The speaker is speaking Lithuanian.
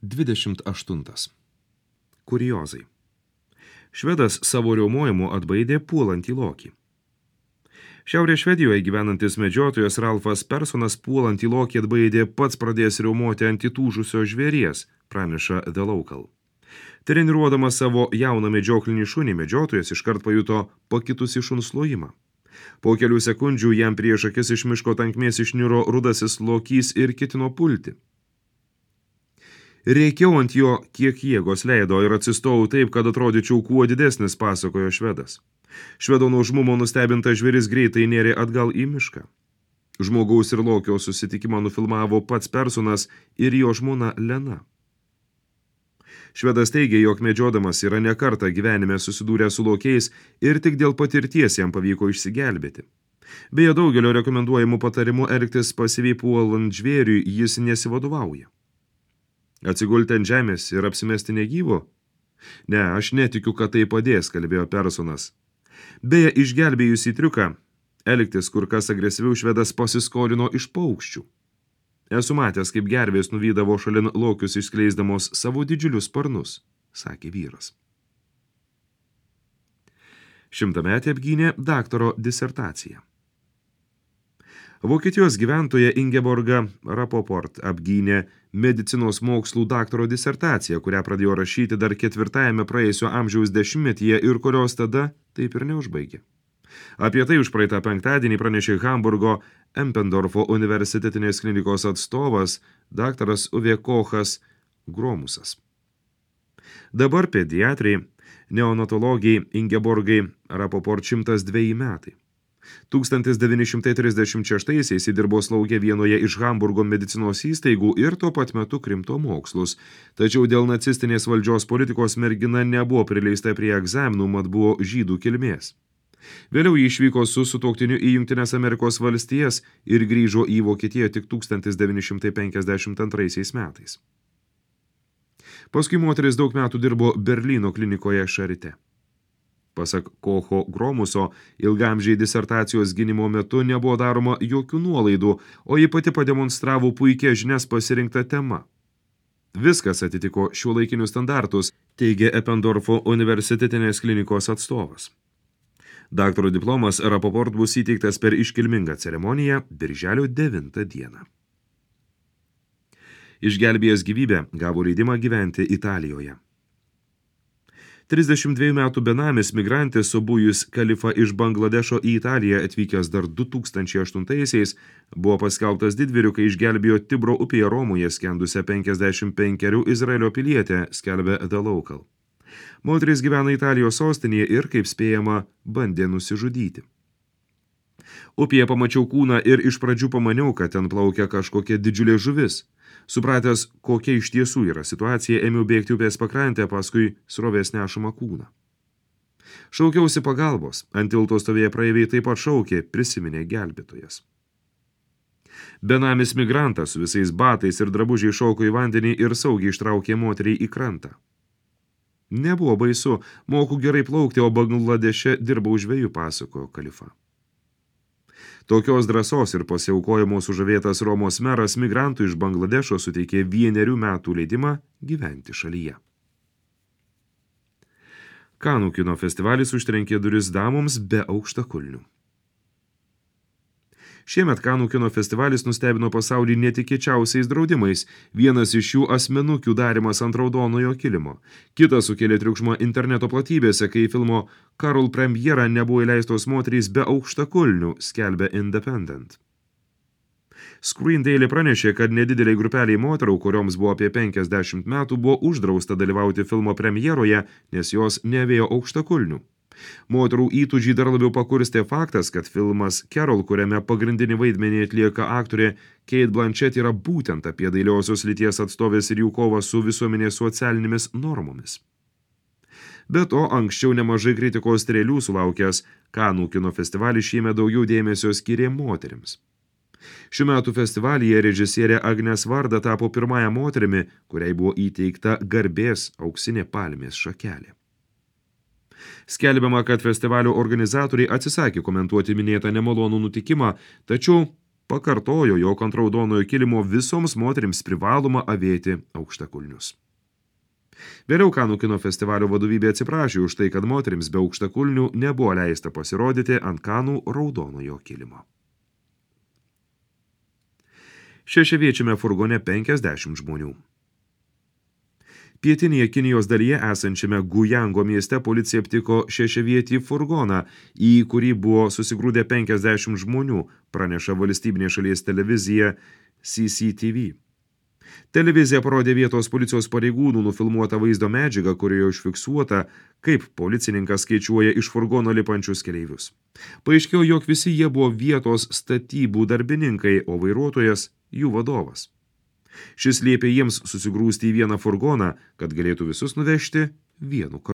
28. Kuriozai. Švedas savo riaumojimu atbaidė puolantį lokį. Šiaurės Švedijoje gyvenantis medžiotojas Ralfas Personas puolantį lokį atbaidė pats pradės riaumoti ant įtūžusio žvėries, praneša The Local. Treniruodamas savo jauną medžioklinį šunį, medžiotojas iškart pajuto pakitusį šuns lojimą. Po kelių sekundžių jam prieš akis iš miško tankmės išniro rudasis lokys ir ketino pulti. Rėkiau ant jo, kiek jėgos leido ir atsistojau taip, kad atrodyčiau kuo didesnis, pasakojo švedas. Švedo nuožmumo nustebintas žvėris greitai nėrė atgal į mišką. Žmogaus ir lokio susitikimą nufilmavo pats Personas ir jo žmona Lena. Švedas teigė, jog medžiodamas yra ne kartą gyvenime susidūrę su lokiais ir tik dėl patirties jam pavyko išsigelbėti. Beje, daugelio rekomenduojamų patarimų elgtis pasyviai puolant žvėriui jis nesivadovauja. Atsigulti ant žemės ir apsimesti negyvo? Ne, aš netikiu, kad tai padės, kalbėjo Personas. Beje, išgelbėjus į triuką, elgtis kur kas agresyviau švedas pasiskolino iš paukščių. Esu matęs, kaip gervės nuvydavo šalin lokius išskleisdamos savo didžiulius sparnus, sakė vyras. 100-metė apgynė daktaro disertaciją. Vokietijos gyventoja Ingeborga Rapoport apgynė medicinos mokslų daktaro disertaciją, kurią pradėjo rašyti dar 4-ame praėjusio amžiaus dešimtmetyje ir kurios tada taip ir neužbaigė. Apie tai užpraeitą penktadienį pranešė Hamburgo Empendorfo universitetinės klinikos atstovas daktaras Uwe Kochas Gromusas. Dabar pediatrai, neonatologijai Ingeborgai Rapoport 102 metai. 1936-aisiais įdirbo slaugė vienoje iš Hamburgo medicinos įstaigų ir tuo pat metu krimto mokslus. Tačiau dėl nacistinės valdžios politikos mergina nebuvo prileista prie egzaminų, mat buvo žydų kilmės. Vėliau jį išvyko su sutuoktiniu į Jungtines Amerikos valstijas ir grįžo į Vokietiją tik 1952 metais. Paskui moteris daug metų dirbo Berlyno klinikoje Šarite. Pasak Kocho Gromuso, ilgamžiai disertacijos gynimo metu nebuvo daroma jokių nuolaidų, o ji pati pademonstravo puikias žinias pasirinktą temą. Viskas atitiko šiuolaikinius standartus, teigė Empendorfo universitetinės klinikos atstovas. Daktaro diplomas Rapoport bus įteiktas per iškilmingą ceremoniją birželio 9 dieną. Išgelbėjęs gyvybę gavo leidimą gyventi Italijoje. 32 metų benamis migrantis Sobujus Kalifa iš Bangladešo į Italiją atvykęs dar 2008-aisiais buvo paskelbtas didvyriu, kai išgelbėjo Tibro upėje Romoje skendusią 55 Izraelio pilietę, skelbė The Local. Moteris gyvena Italijos sostinėje ir, kaip spėjama, bandė nusižudyti. Upėje pamačiau kūną ir iš pradžių pamaniau, kad ten plaukia kažkokia didžiulė žuvis. Supratęs, kokia iš tiesų yra situacija, ėmiau bėgti upės pakrantę, paskui srovės nešamą kūną. Šaukiausi pagalbos, ant tilto stovėję praeiviai taip pat šaukė, prisiminė gelbėtojas. Benamis migrantas su visais batais ir drabužiai šoko į vandenį ir saugiai ištraukė moteriai į krantą. Nebuvo baisu, moku gerai plaukti, o Bangladeše dirbau žvejų, pasakojo Kalifa. Tokios drąsos ir pasiaukojimo sužavėtas Romos meras migrantų iš Bangladešo suteikė 1 metų leidimą gyventi šalyje. Kanų kino festivalis užtrenkė duris damoms be aukštakulnių. Šiemet Kanų kino festivalis nustebino pasaulį netikėčiausiais draudimais. Vienas iš jų asmenukių darymas ant raudonojo kilimo. Kitas sukėlė triukšmą interneto platybėse, kai filmo Carol premjera nebuvo įleistos moterys be aukštakulnių, skelbė Independent. Screen Daily pranešė, kad nedideliai grupeliai moterų, kurioms buvo apie 50 metų, buvo uždrausta dalyvauti filmo premjeroje, nes jos nevėjo aukštakulnių. Moterų įtūžį dar labiau pakurstė faktas, kad filmas Carol, kuriame pagrindinį vaidmenį atlieka aktorė Kate Blanchett, yra būtent apie dailiosios lyties atstovės ir jų kovą su visuomenės socialinėmis normomis. Be to, anksčiau nemažai kritikos strėlių sulaukęs Kanų kino festivalis šiemet daugiau dėmesio skyrė moterims. Šių metų festivalyje režisierė Agnes Varda tapo pirmąją moterimi, kuriai buvo įteikta garbės auksinė palmės šakelė. Skelbiama, kad festivalio organizatoriai atsisakė komentuoti minėtą nemalonų nutikimą, tačiau pakartojo, jog ant raudonojo kilimo visoms moterims privaloma avėti aukštakulnius. Vėliau Kanų kino festivalio vadovybė atsiprašė už tai, kad moterims be aukštakulnių nebuvo leista pasirodyti ant Kanų raudonojo kilimo. Šešiaviečiame furgone 50 žmonių. Pietinėje Kinijos dalyje esančiame Gujango mieste policija aptiko šešiavietį furgoną, į kurį buvo susigrūdę 50 žmonių, praneša valstybinė šalies televizija CCTV. Televizija parodė vietos policijos pareigūnų nufilmuotą vaizdo medžiagą, kurioje užfiksuota, kaip policininkas skaičiuoja iš furgono lipančius keleivius. Paaiškėjo, jog visi jie buvo vietos statybų darbininkai, o vairuotojas jų vadovas. Šis liepė jiems susigrūsti į vieną furgoną, kad galėtų visus nuvežti vienu kartu.